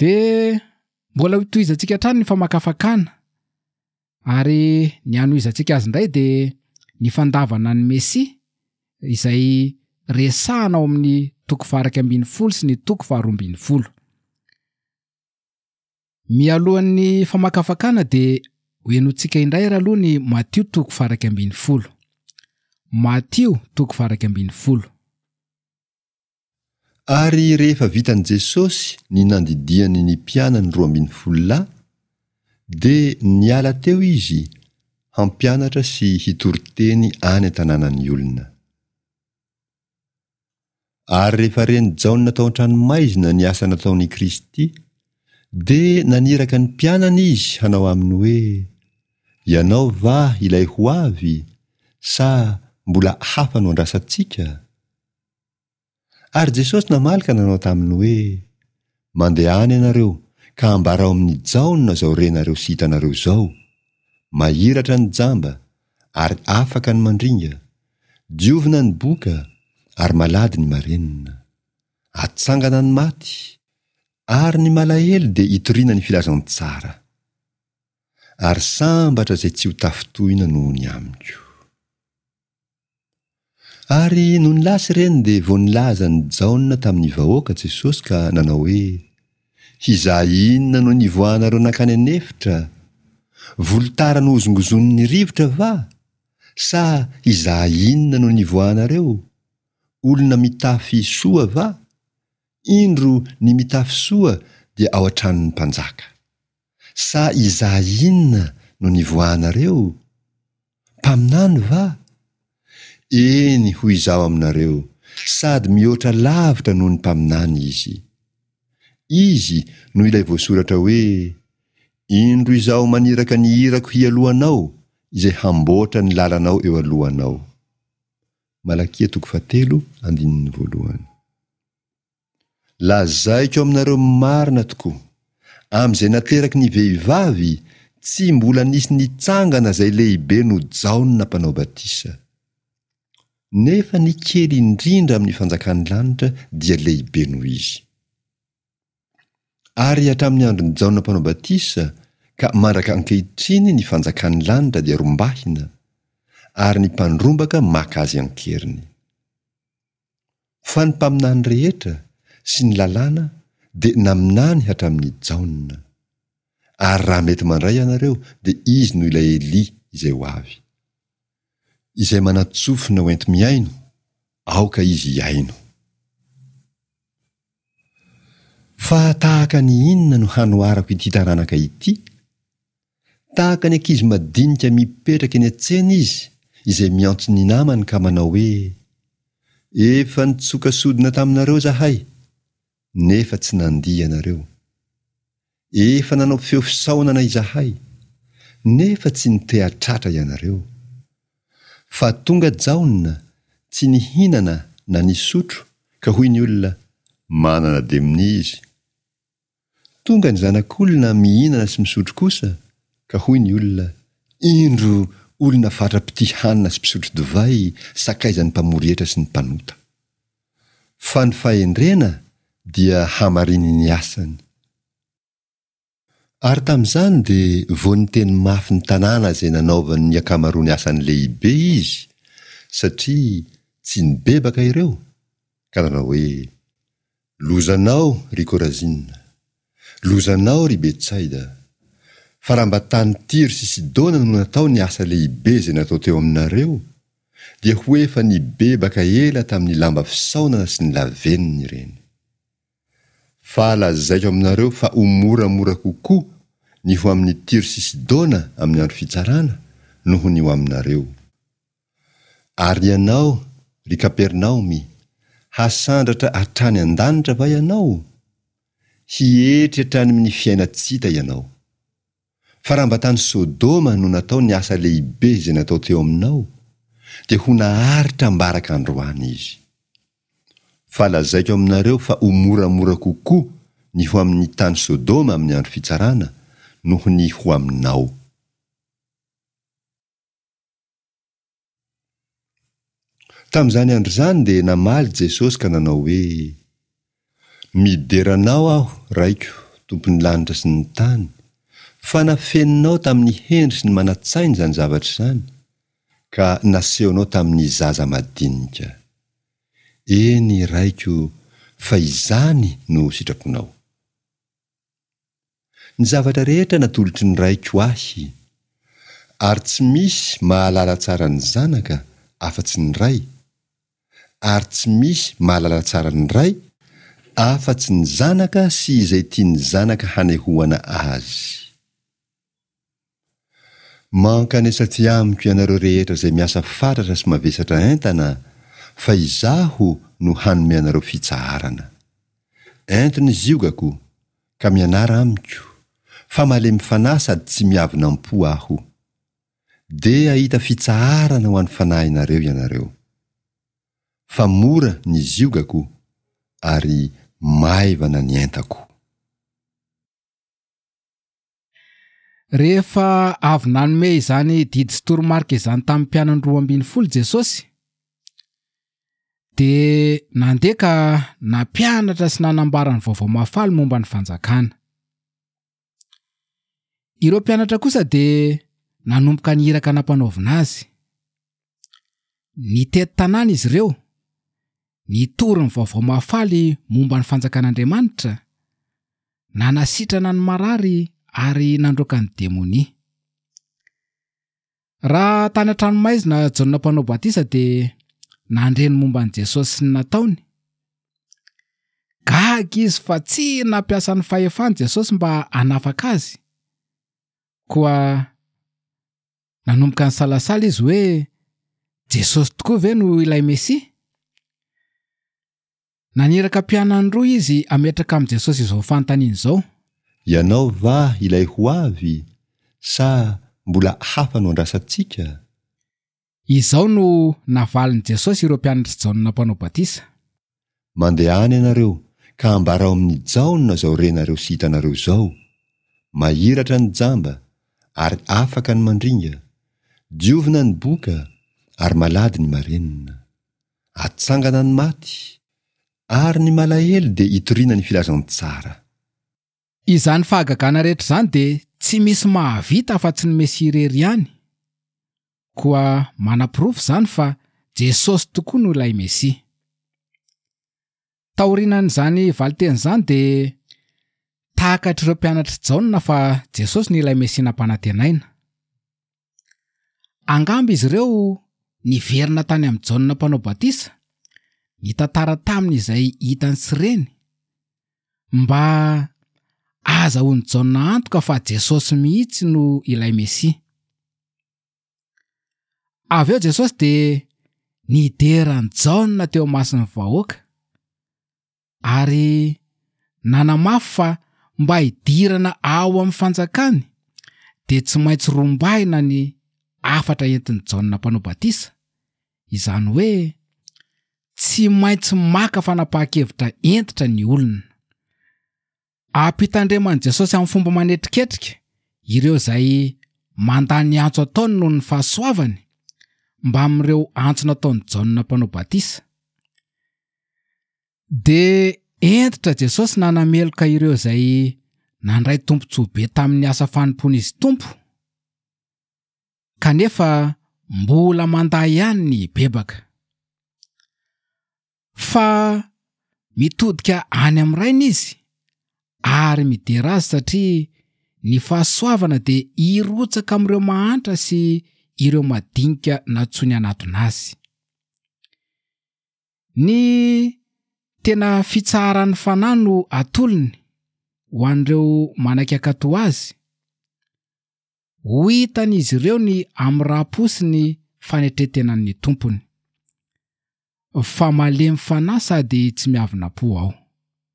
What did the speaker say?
Dia mbola hotohizantsika hatrany ny famakafakana ary ny hanohizantsika azy indray dia ny fandavana ny Mesia izay resahana ao amin'ny toko faha-11 sy ny toko faha-12. Mialohan'ny famakafakana dia hohenointsika indray ary aloha ny Matio toko faha-11. Matio toko faha-11. Ary rehefa vitan'i Jesosy ny nandidiany ny mpianany 12 lahy, dia niala teo Izy hampianatra sy hitory teny any an-tanànan'ny olona. Ary rehefa ren'i Jaona tao an-tranomaizina ny asa nataon'i Kristy, dia naniraka ny mpianany izy hanao aminy hoe, Ianao va ilay ho avy, sa mbola hafa no andrasantsika? Ary Jesosy namaly ka nanao taminy hoe, Mandehana ianareo ka ambarao amin'i Jaona izao renareo sy hitanareo izao, mahiratra ny jamba, ary afaka ny mandringa, diovina ny boka, ary malady ny marenina. Atsangana ny maty, ary ny malahelo dia itoriana ny filazantsara. Ary sambatra izay tsy ho tafintohina noho ny amiko. Ary nony lasa ireny dia vao nilaza an'i Jaona tamin'ny vahoaka Jesosy ka nanao hoe, Hizaha inona no nivoahanareo nankany an'efitra? Volotara nohozongozonin'ny rivotra va? Sa hizaha inona no nivoahanareo? Olona mitafy soa va? Indro ny mitafy soa dia ao an-tranon'ny mpanjaka. Sa hizaha inona no nivoahanareo? Mpaminany va? Eny, hoy Izaho aminareo, sady mihoatra lavitra noho ny mpaminany izy. Izy no ilay voasoratra hoe, Indro Izaho maniraka ny irako hialoha anao, izay hamboatra ny lalanao eo alohanao. Malakia toko fahatelo andininy voalohany. Lazaiko aminareo marina tokoa, amin'izay nateraky ny vehivavy, tsy mbola nisy nitsangana izay lehibe noho Jaona Mpanao Batisa. Nefa ny kely indrindra amin'ny fanjakan'ny lanitra dia lehibe noho izy. Ary hatramin'ny andron'i Jaona Mpanao Batisa ka mandraka ankehitriny ny fanjakan'ny lanitra dia rombahina, ary ny mpandrombaka maka azy an-keriny. Fa ny mpaminany rehetra sy ny lalàna dia naminany hatramin'i Jaona. Ary raha mety mandray ianareo dia izy no ilay Elia izay ho avy. Izay manan-tsofina ho enti-mihaino, aoka izy hihaino. Fa tahaka ny inona no hanoharako ity taranaka ity? Tahaka ny ankizy madinika mipetraka eny an-tsena izy izay miantso ny namany ka manao hoe, Efa nitsoka sodina taminareo izahay, nefa tsy nandihy ianareo. Efa nanao feo fisaonana izahay, nefa tsy niteha-tratra ianareo. Fa tonga Jaona, tsy nihinana na nisotro, ka hoy ny olona, Manana demonia izy. Tonga ny Zanak'olona mihinana sy misotro kosa, ka hoy ny olona, Indro olona fatra-pitia hanina sy mpisotro divay, sakaizan'ny mpamory hetra sy ny mpanota. Fa ny fahendrena dia hamariny ny asany. Ary tamin'izany dia vao niteny mafy ny tanàna izay nanaovany ny ankamaroany asany lehibe izy, satria tsy nibebaka ireo, ka nanao hoe, Lozanao, ry Korazina! Lozanao, ry Betsaida! Fa raha mba tany Tyro sy Sidona no natao ny asa lehibe izay natao teo aminareo, dia ho efa nibebaka ela tamin'ny lamba fisaonana sy ny lavenona ireny. Fa lazaiko aminareo fa ho moramora kokoa ny ho amin'i Tyro sy Sidona amin'ny andro fitsarana noho ny ho aminareo. Ary ianao, ry Kapernaomy, hasandratra hatrany an-danitra va ianao? Hietry hatrany amin'ny fiainan-tsy hita ianao. Fa raha mba tany Sodoma no natao ny asa lehibe izay natao teo aminao, dia ho naharitra ambaraka androany izy. Fa lazaiko aminareo fa ho moramora kokoa ny ho amin'ny tany Sodoma amin'ny andro fitsarana noho ny ho aminao. Tamin'izany andro izany dia namaly Jesosy ka nanao hoe, Midera Anao aho, Raiko, Tompon'ny lanitra sy ny tany, fa nafeninao tamin'ny hendry sy ny manan-tsaina izany zavatra izany, ka nasehonao tamin'ny zaza madinika. Eny, Raiko, fa izany no sitraponao. Ny zavatra rehetra natolotry ny Raiko ahy, ary tsy misy mahalala tsara ny Zanaka afa-tsy ny Ray, ary tsy misy mahalala tsara ny Ray afa-tsy ny Zanaka sy izay tian'ny Zanaka hanehoana azy. Mankanesa aty amiko ianareo rehetra izay miasa fatratra sy mavesatra entana, fa Izaho no hanome anareo fitsaharana. Ento ny ziogako, ka mianara amiko, fa malemy fanahy sady tsy miavona am-po Aho. Dia hahita fitsaharana ho an'ny fanahinareo ianareo. Fa mora ny ziogako, ary maivana ny entako. Rehefa avy nanome izany didy sy toromarika izany tamin'ny mpianany 12 Jesosy, dia nandeha ka nampianatra sy nanambara ny vaovao mahafaly momba ny fanjakana. Ireo mpianatra kosa dia nanomboka ny iraka nampanaovina azy. Nitety tanàna izy ireo, nitory ny vaovao mahafaly momba ny fanjakan'Andriamanitra, nanasitrana ny marary ary nandroaka ny demonia. Raha tany an-tranomaizina Jaona Mpanao Batisa dia nandre ny momba an'i Jesosy sy ny nataony. Gaga izy fa tsy nampiasa ny fahefany Jesosy mba hanafaka azy. Koa nanomboka nisalasala izy hoe Jesosy tokoa ve no ilay Mesia? Naniraka mpianany roa izy hametraka amin'i Jesosy izao fanontaniana izao. Ianao va ilay ho avy, sa mbola hafa no andrasantsika? Izao no navalin'i Jesosy ireo mpianatr'i Jaona Mpanao Batisa. Mandehana ianareo, ka ambarao amin'i Jaona izao renareo sy hitanareo izao, Mahiratra ny jamba, ary afaka ny mandringa, diovina ny boka, ary malady ny marenina. Atsangana ny maty, ary ny malahelo dia itoriana ny filazantsara. Izany fahagagana rehetra izany dia tsy misy mahavita afa-tsy ny Mesia irery ihany. Koa manaporofo izany fa Jesosy tokoa no ilay Mesia. Taorianan'izany valinteny izany dia takatr'ireo mpianatr'i Jaona fa Jesosy no ilay Mesia nampanantenaina. Angamba izy ireo niverina tany amin'i Jaona Mpanao Batisa, nitantara taminy izay hitany sy reny, mba hahazahoan'i Jaona antoka fa Jesosy mihitsy no ilay Mesia. Avy eo Jesosy dia nidera an'i Jaona teo imason'ny vahoaka ary nanamafy fa mba hidirana ao amin'ny fanjakany dia tsy maintsy rombahina ny hafatra entin'i Jaona Mpanao Batisa, izany hoe tsy maintsy maka fanapahan-kevitra hentitra ny olona. Ampitandreman'i Jesosy amin'ny fomba manetriketrika ireo izay mandà ny antso ataony noho ny fahasoavany, mbamin'ireo antso nataon'i Jaona Mpanao Batisa. Dia hentitra Jesosy nanameloka ireo izay nandray tombontsoa be tamin'ny asa fanompoan'izy Tompo, kanefa mbola mandà ihany ny hibebaka. Fa mitodika any amin'ny Rainy izy ary midera azy satria ny fahasoavana dia hirotsaka amin'ireo mahantra sy ireo madinika nantsoiny hanatona azy. Ny tena fitsaharan'ny fanahy no atolony ho an'ireo manaiky hankatò azy. Ho hitan'izy ireo ny hamoram-po sy ny fanetren-tenan'ny Tompony. Fa malemy fanahy sady tsy miavona-po aho.